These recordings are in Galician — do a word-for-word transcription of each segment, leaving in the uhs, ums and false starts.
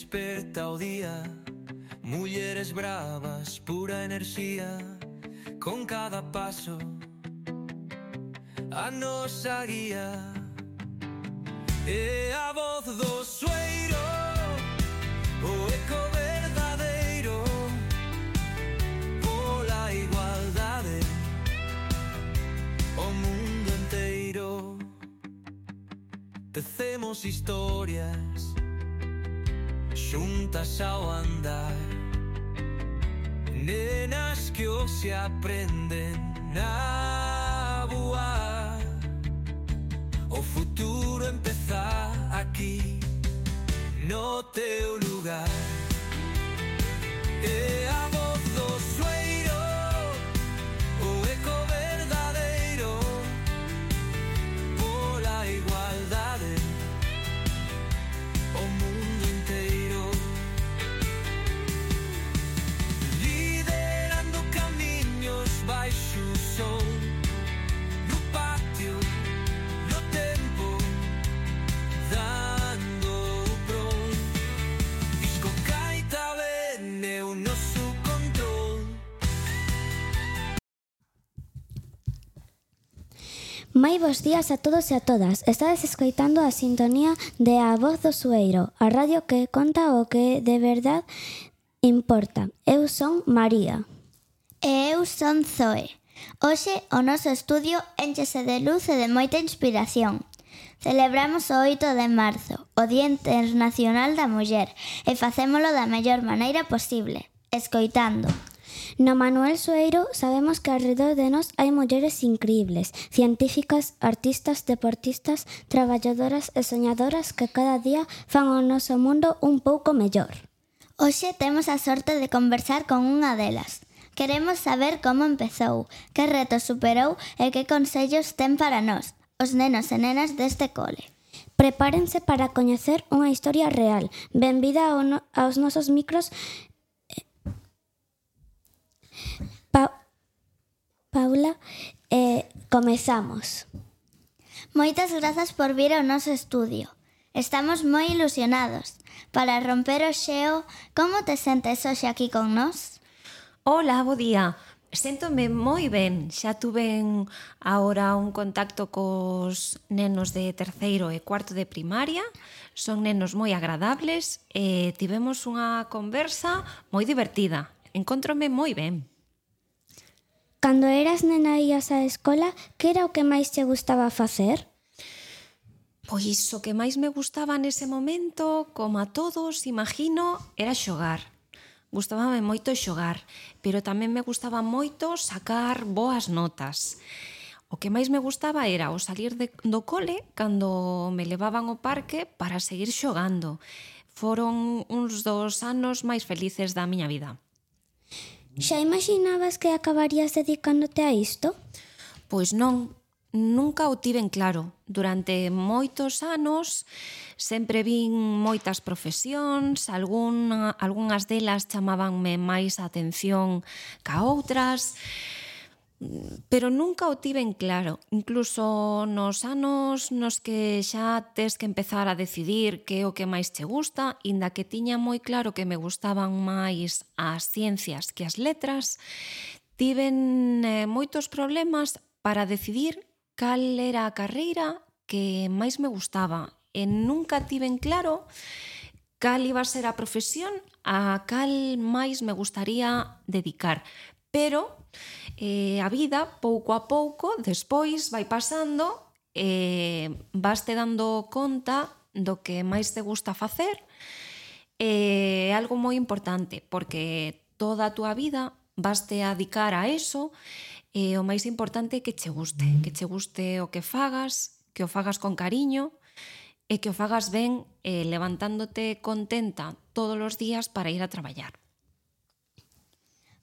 desperta o día, mulleres bravas, pura enerxía, con cada paso a nosa guía. É a voz do sueiro, o eco verdadeiro, pola igualdade, o mundo inteiro. Tecemos historias xuntas ao andar, nenas que hoxe aprenden a voar. O futuro empeza aquí, no teu lugar. É a voz do sueiro, o eco verdadeiro, pola igualdade, o mundo inteiro. Liderando camiños baixo o sol, no patio, no tempo, dando o pron. Disco caita ben é o noso control. Moi bos días a todos e a todas. Estades escoitando a sintonía de A Voz do Sueiro, a radio que conta o que de verdade importa. Eu son María. E eu son Zoe. Hoxe o noso estudio énchese de luz e de moita inspiración. Celebramos o oito de marzo, o Día Internacional da Muller, e facémolo da mellor maneira posible, escoitando. No Manuel Sueiro sabemos que alrededor de nós hai mulleres increíbles, científicas, artistas, deportistas, traballadoras e soñadoras que cada día fan o noso mundo un pouco mellor. Hoxe temos a sorte de conversar con unha delas. Queremos saber como empezou, que retos superou e que consellos ten para nós, os nenos e nenas deste cole. Prepárense para coñecer unha historia real. Benvida ao no, aos nosos micros. Pa Paula, eh, comezamos. Moitas grazas por vir ao noso estudio. Estamos moi ilusionados. Para romper o xeo, como te sentes hoxe aquí con nós? Hola, bo día. Séntome moi ben. Xa tuven agora un contacto cos nenos de terceiro e cuarto de primaria. Son nenos moi agradables e tivemos unha conversa moi divertida. Encóntrome moi ben. Cando eras nena e ías á escola, que era o que máis te gustaba facer? Pois o que máis me gustaba nese momento, como a todos, imagino, era xogar. Gustábame moito xogar, pero tamén me gustaba moito sacar boas notas. O que máis me gustaba era o salir de, do cole cando me levaban ao parque para seguir xogando. Foron uns dos anos máis felices da miña vida. Xa imaginabas que acabarías dedicándote a isto? Pois non, nunca o tiven claro. Durante moitos anos sempre vin moitas profesións, algún, algunhas delas chamabanme máis a atención ca outras, pero nunca o tiven claro. Incluso nos anos nos que xa tes que empezar a decidir que é o que máis che gusta, inda que tiña moi claro que me gustaban máis as ciencias que as letras, tiven eh, moitos problemas para decidir cal era a carreira que máis me gustaba. E nunca tiven claro cal iba a ser a profesión a cal máis me gustaría dedicar. Pero eh, a vida, pouco a pouco, despois vai pasando e eh, vaste dando conta do que máis te gusta facer. É eh, algo moi importante, porque toda a túa vida vaste a dedicar a eso. E o máis importante é que che guste, que che guste o que fagas, que o fagas con cariño e que o fagas ben eh, levantándote contenta todos os días para ir a traballar.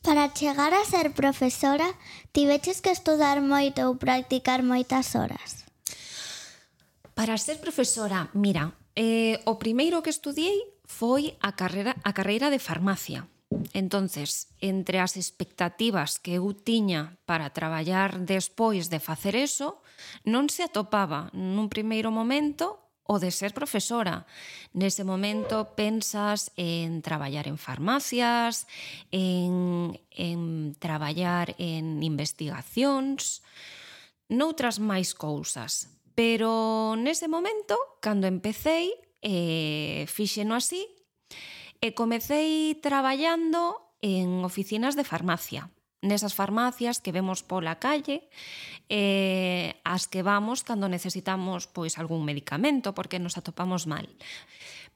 Para chegar a ser profesora, tiveches que estudar moito ou practicar moitas horas? Para ser profesora, mira, eh, o primeiro que estudiei foi a carreira, a carreira de farmacia. Entonces, entre as expectativas que eu tiña para traballar despois de facer eso, non se atopaba nun primeiro momento o de ser profesora. Nese momento pensas en traballar en farmacias, en, en traballar en investigacións, noutras máis cousas. Pero nese momento, cando empecéi, eh, fíxeno así, e comecei traballando en oficinas de farmacia. Nesas farmacias que vemos pola calle, eh, as que vamos cando necesitamos pois algún medicamento porque nos atopamos mal.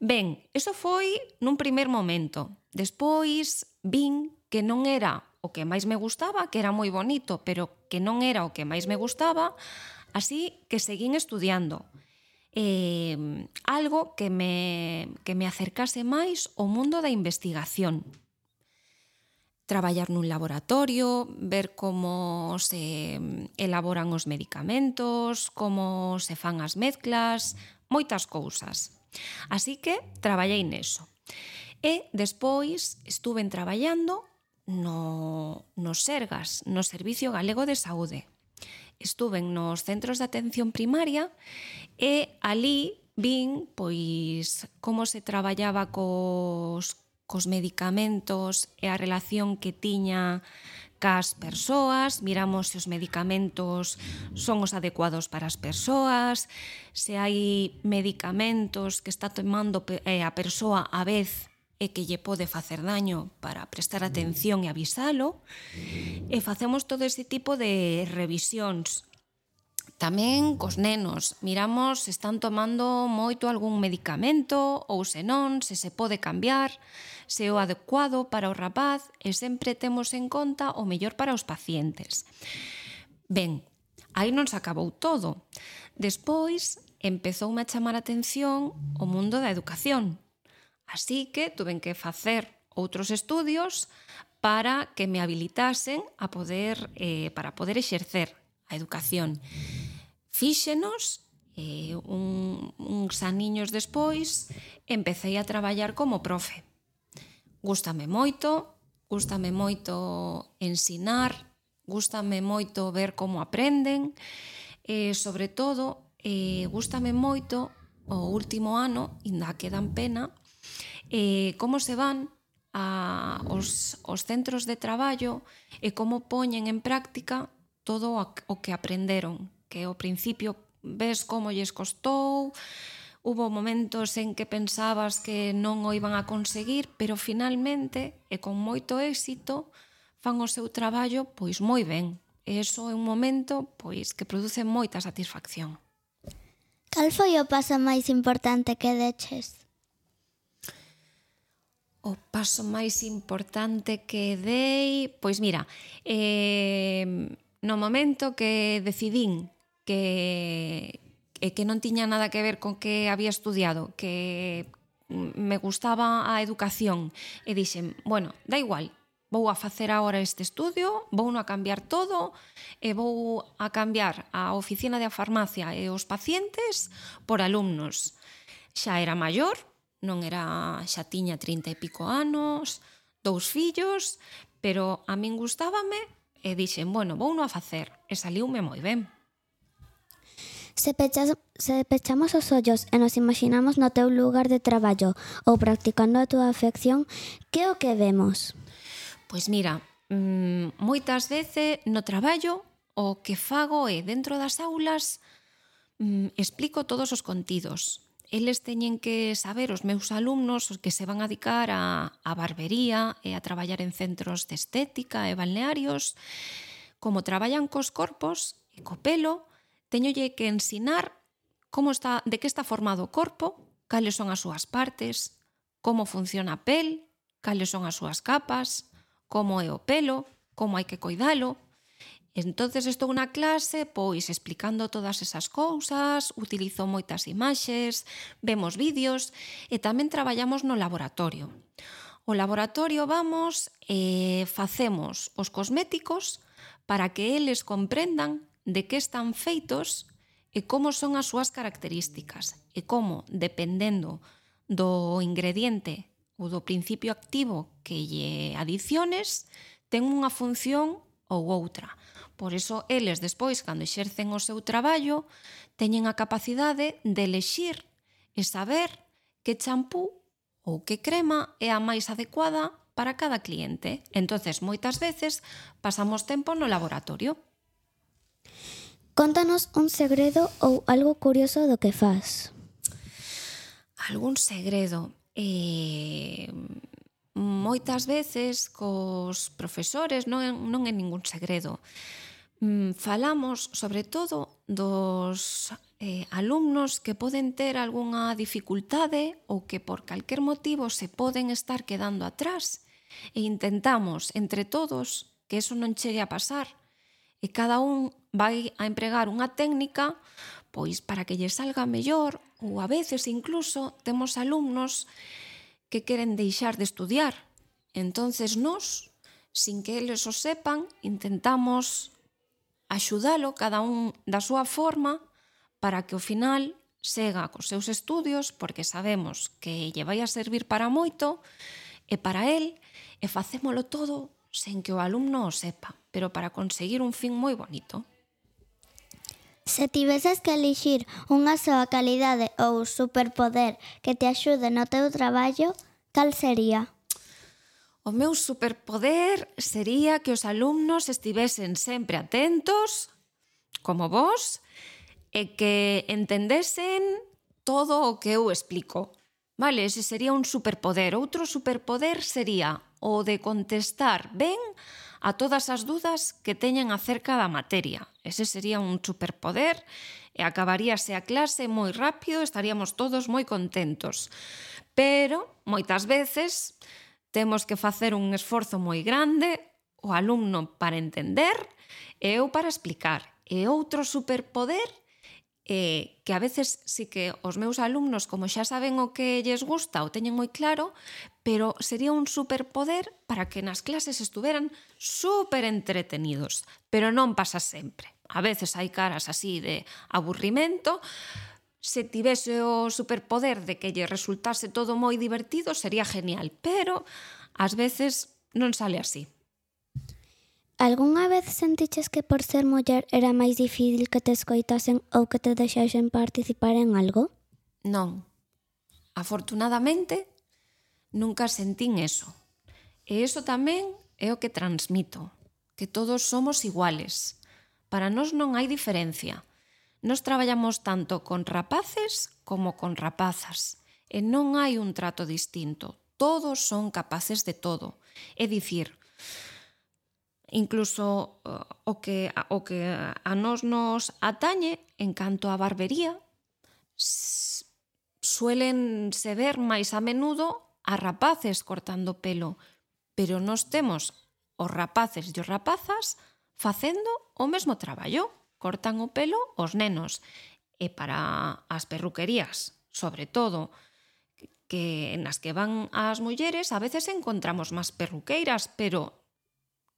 Ben, iso foi nun primer momento. Despois vin que non era o que máis me gustaba, que era moi bonito, pero que non era o que máis me gustaba, así que seguín estudiando. Eh, algo que me, que me acercase máis ao mundo da investigación. Traballar nun laboratorio, ver como se elaboran os medicamentos, como se fan as mezclas, moitas cousas. Así que traballei neso. E despois estuve traballando no, no Sergas, no Servicio Galego de Saúde. Estuve nos centros de atención primaria e ali vin pois como se traballaba cos cos medicamentos e a relación que tiña cas persoas, miramos se os medicamentos son os adecuados para as persoas, se hai medicamentos que está tomando a persoa a vez e que lle pode facer daño para prestar atención e avisalo, e facemos todo ese tipo de revisións. Tamén cos nenos, miramos se están tomando moito algún medicamento ou se non, se se pode cambiar, se é o adecuado para o rapaz e sempre temos en conta o mellor para os pacientes. Ben, aí non se acabou todo. Despois empezoume a chamar a atención o mundo da educación. Así que tuven que facer outros estudios para que me habilitasen a poder, eh, para poder exercer a educación. Fíxenos, e un, uns aniños despois empecé a traballar como profe. Gústame moito, gústame moito ensinar, gústame moito ver como aprenden, e sobre todo, e gústame moito o último ano, ainda quedan pena, e como se van a, os, os centros de traballo e como poñen en práctica todo o que aprenderon, que ao principio ves como lles costou, hubo momentos en que pensabas que non o iban a conseguir, pero finalmente, e con moito éxito, fan o seu traballo pois moi ben. E iso é un momento pois que produce moita satisfacción. Cal foi o paso máis importante que deches? O paso máis importante que dei, pois mira, eh, no momento que decidín que, que non tiña nada que ver con que había estudiado, que me gustaba a educación, e dixen, bueno, da igual, vou a facer agora este estudio, vou a cambiar todo, e vou a cambiar a oficina de farmacia e os pacientes por alumnos. Xa era maior, non era, xa tiña trinta e pico anos, dous fillos, pero a min gustábame, e dixen, bueno, vou a facer, e saliume moi ben. Se, pechas, se pechamos os ollos e nos imaginamos no teu lugar de traballo ou practicando a túa afección, que é o que vemos? Pois mira, mmm, moitas veces no traballo o que fago é, dentro das aulas, mmm, explico todos os contidos. Eles teñen que saber, os meus alumnos, os que se van a dedicar a, a barbería e a traballar en centros de estética e balnearios, como traballan cos corpos e co pelo, teñolle que ensinar como está, de que está formado o corpo, cales son as súas partes, como funciona a pel, cales son as súas capas, como é o pelo, como hai que coidalo. Entonces estou na clase, pois, explicando todas esas cousas, utilizo moitas imaxes, vemos vídeos e tamén traballamos no laboratorio. O laboratorio vamos e facemos os cosméticos para que eles comprendan de que están feitos e como son as súas características e como, dependendo do ingrediente ou do principio activo que lle adiciones, ten unha función ou outra. Por iso, eles despois, cando exercen o seu traballo, teñen a capacidade de elexir e saber que champú ou que crema é a máis adecuada para cada cliente. Entonces, moitas veces pasamos tempo no laboratorio. Contanos un segredo ou algo curioso do que fas. Algún segredo? Eh, moitas veces cos profesores non é, non é ningún segredo. Mm, falamos sobre todo dos eh, alumnos que poden ter algunha dificultade ou que por calquer motivo se poden estar quedando atrás e intentamos entre todos que eso non chegue a pasar e cada un vai a empregar unha técnica pois para que lle salga mellor, ou a veces incluso temos alumnos que queren deixar de estudiar. Entonces nós, sin que eles o sepan, intentamos axudalo cada un da súa forma para que ao final sega cos seus estudios, porque sabemos que lle vai a servir para moito e para el, e facémolo todo sen que o alumno o sepa, pero para conseguir un fin moi bonito. Se tiveses que elixir unha soa calidade ou superpoder que te axude no teu traballo, cal sería? O meu superpoder sería que os alumnos estivesen sempre atentos, como vos, e que entendesen todo o que eu explico. Vale, ese sería un superpoder. Outro superpoder sería o de contestar ben a todas as dudas que teñen acerca da materia. Ese sería un superpoder e acabaríase a clase moi rápido, estaríamos todos moi contentos. Pero, moitas veces, temos que facer un esforzo moi grande, o alumno para entender e eu para explicar. E outro superpoder é que a veces sí que os meus alumnos, como xa saben o que lles gusta, o teñen moi claro, pero sería un superpoder para que nas clases estuveran super entretenidos. Pero non pasa sempre. A veces hai caras así de aburrimento. Se tivese o superpoder de que lle resultase todo moi divertido, sería genial. Pero ás veces non sale así. Algúnha vez sentiches que por ser muller era máis difícil que te escoitasen ou que te deixasen participar en algo? Non. Afortunadamente, nunca sentín eso. E iso tamén é o que transmito, que todos somos iguales. Para nós non hai diferencia. Nós traballamos tanto con rapaces como con rapazas. E non hai un trato distinto. Todos son capaces de todo. É dicir, incluso uh, o que, o que a nós nos atañe en canto a barbería, suelen se ver máis a menudo a rapaces cortando pelo, pero nós temos os rapaces e os rapazas facendo o mesmo traballo, cortan o pelo os nenos. E para as perruquerías, sobre todo, que nas que van as mulleres, a veces encontramos máis perruqueiras, pero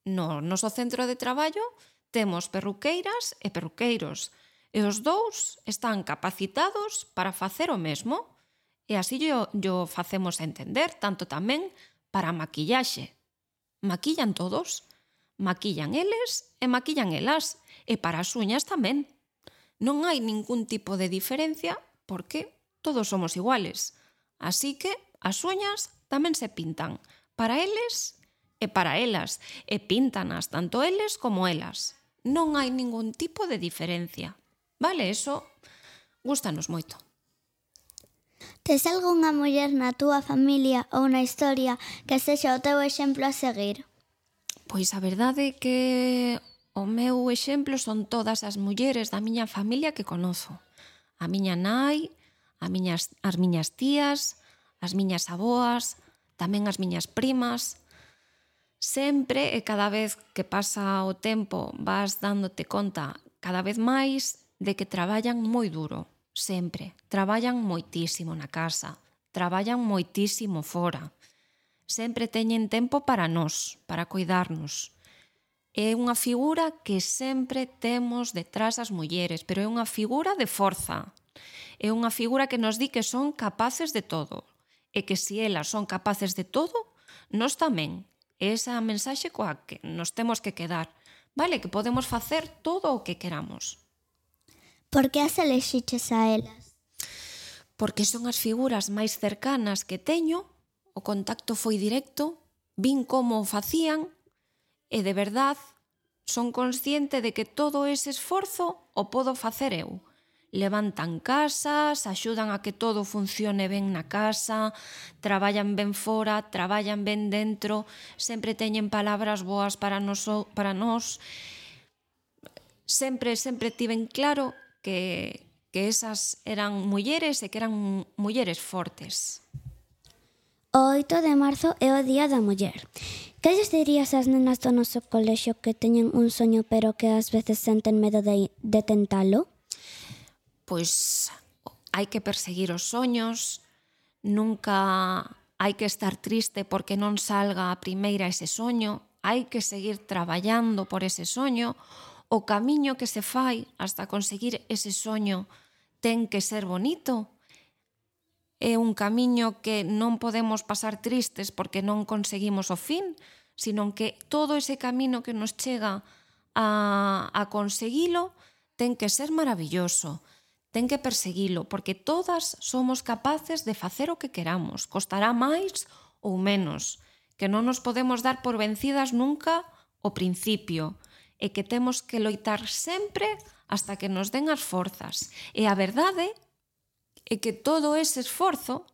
no noso centro de traballo temos perruqueiras e perruqueiros, e os dous están capacitados para facer o mesmo, e así yo, yo facemos entender, tanto tamén para a maquillaxe. Maquillan todos, maquillan eles e maquillan elas, e para as uñas tamén. Non hai ningún tipo de diferencia porque todos somos iguales. Así que as uñas tamén se pintan para eles e para elas, e píntanas tanto eles como elas. Non hai ningún tipo de diferencia. Vale, eso gústanos moito. Tes algunha muller na túa familia ou na historia que sexa o teu exemplo a seguir? Pois a verdade é que o meu exemplo son todas as mulleres da miña familia que conozo. A miña nai, a miñas, as miñas tías, as miñas aboas, tamén as miñas primas. Sempre e cada vez que pasa o tempo vas dándote conta cada vez máis de que traballan moi duro, sempre. Traballan moitísimo na casa, traballan moitísimo fora. Sempre teñen tempo para nós, para cuidarnos. É unha figura que sempre temos detrás as mulleres, pero é unha figura de forza. É unha figura que nos di que son capaces de todo. E que se elas son capaces de todo, nós tamén. Esa é a mensaxe coa que nos temos que quedar. Vale, que podemos facer todo o que queramos. Por que as elexiches a elas? porque son as figuras máis cercanas que teño, o contacto foi directo, vin como o facían e de verdad son consciente de que todo ese esforzo o podo facer eu. Levantan casas, axudan a que todo funcione ben na casa, traballan ben fora, traballan ben dentro, sempre teñen palabras boas para nos, para nós. Sempre, sempre tiven claro que, que esas eran mulleres e que eran mulleres fortes. O oito de marzo é o Día da Muller. Que lles dirías ás nenas do noso colexio que teñen un soño pero que ás veces senten medo de, de tentalo? Pois hai que perseguir os soños, nunca hai que estar triste porque non salga a primeira ese soño, hai que seguir traballando por ese soño, o camiño que se fai hasta conseguir ese soño ten que ser bonito. É un camiño que non podemos pasar tristes porque non conseguimos o fin, sino que todo ese camino que nos chega a, a conseguilo ten que ser maravilloso, ten que perseguilo, porque todas somos capaces de facer o que queramos, costará máis ou menos, que non nos podemos dar por vencidas nunca ao principio, e que temos que loitar sempre hasta que nos den as forzas. E a verdade é que todo ese esforzo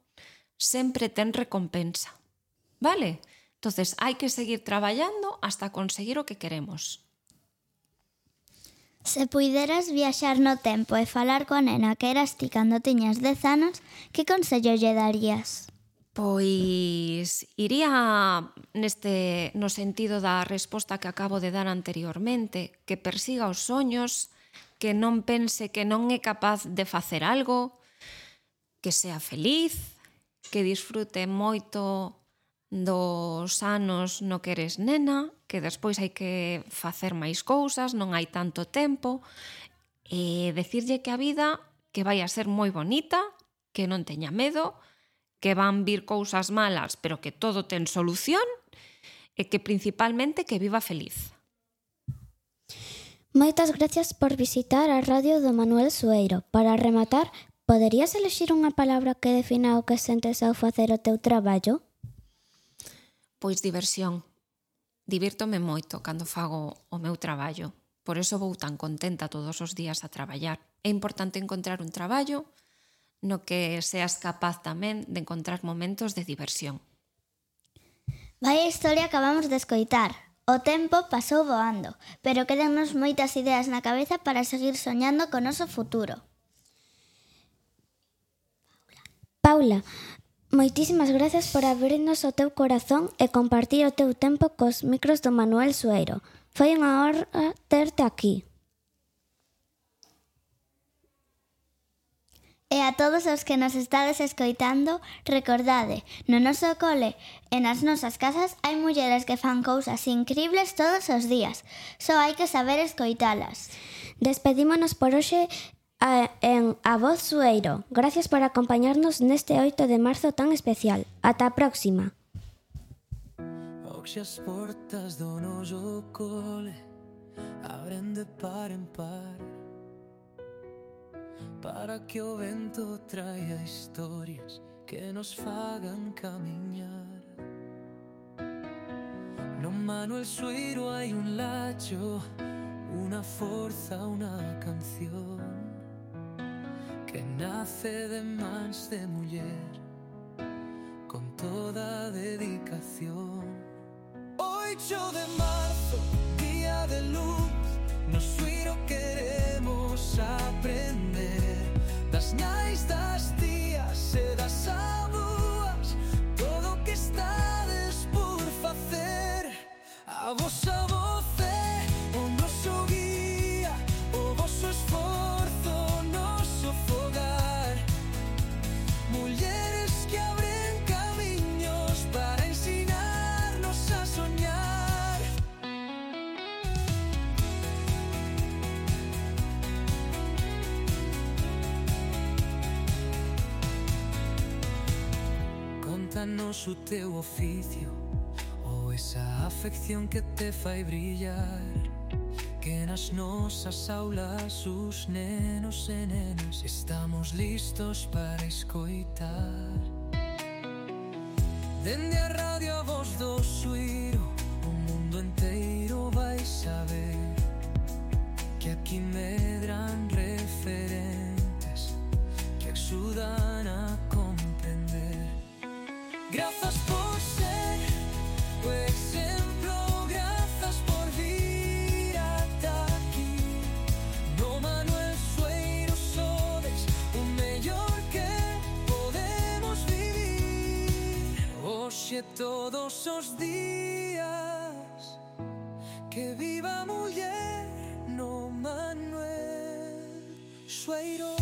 sempre ten recompensa. Vale? Entonces, hai que seguir traballando hasta conseguir o que queremos. Se puideras viaxar no tempo e falar coa nena que eras ti cando tiñas dez anos, que consello lle darías? Pois iría neste no sentido da resposta que acabo de dar anteriormente, que persiga os soños, que non pense que non é capaz de facer algo, que sea feliz, que disfrute moito dos anos no que eres nena, que despois hai que facer máis cousas, non hai tanto tempo, e decirlle que a vida que vai a ser moi bonita, que non teña medo, que van vir cousas malas, pero que todo ten solución, e que principalmente que viva feliz. Moitas gracias por visitar a radio do Manuel Sueiro. Para rematar, poderías elexir unha palabra que defina o que sentes ao facer o teu traballo? Pois diversión. Divírtome moito cando fago o meu traballo. Por iso vou tan contenta todos os días a traballar. É importante encontrar un traballo no que seas capaz tamén de encontrar momentos de diversión. Vaya historia acabamos de escoitar. O tempo pasou voando, pero quedannos moitas ideas na cabeza para seguir soñando co noso futuro. Paula, moitísimas gracias por abrirnos o teu corazón e compartir o teu tempo cos micros do Manuel Sueiro. Foi unha honra terte aquí. E a todos os que nos estades escoitando, recordade, no noso cole e nas nosas casas hai mulleres que fan cousas incribles todos os días. Só hai que saber escoitalas. Despedímonos por hoxe a, en A Voz Sueiro. Gracias por acompañarnos neste oito de marzo tan especial. Ata a próxima. Hoxe as portas do noso cole abren de par en par, para que o vento traia historias que nos fagan camiñar. No Manuel Sueiro hai un lacho, unha forza, unha canción que nace de mans de muller con toda dedicación. Oito de marzo, día de luz, no Sueiro queremos aprender das nais, das tías e das avúas, todo o que estades por facer. A vosa voz é o noso guía, o voso esforzo, o noso fogar. Mulleres que abren camiños para ensinarnos a soñar. Contanos o teu oficio ou esa afección que te fai brillar. que nas nosas aulas os nenos e nenas estamos listos para escoitar. Dende a radio a voz do suiro, o mundo enteiro vai saber que aquí medran referentes que axudan a comprender. Grazas por ser o exemplo, grazas por vir ata aquí. No Manuel Sueiro sodes o mellor que podemos vivir. Hoxe todos os días, que viva a muller no Manuel Sueiro.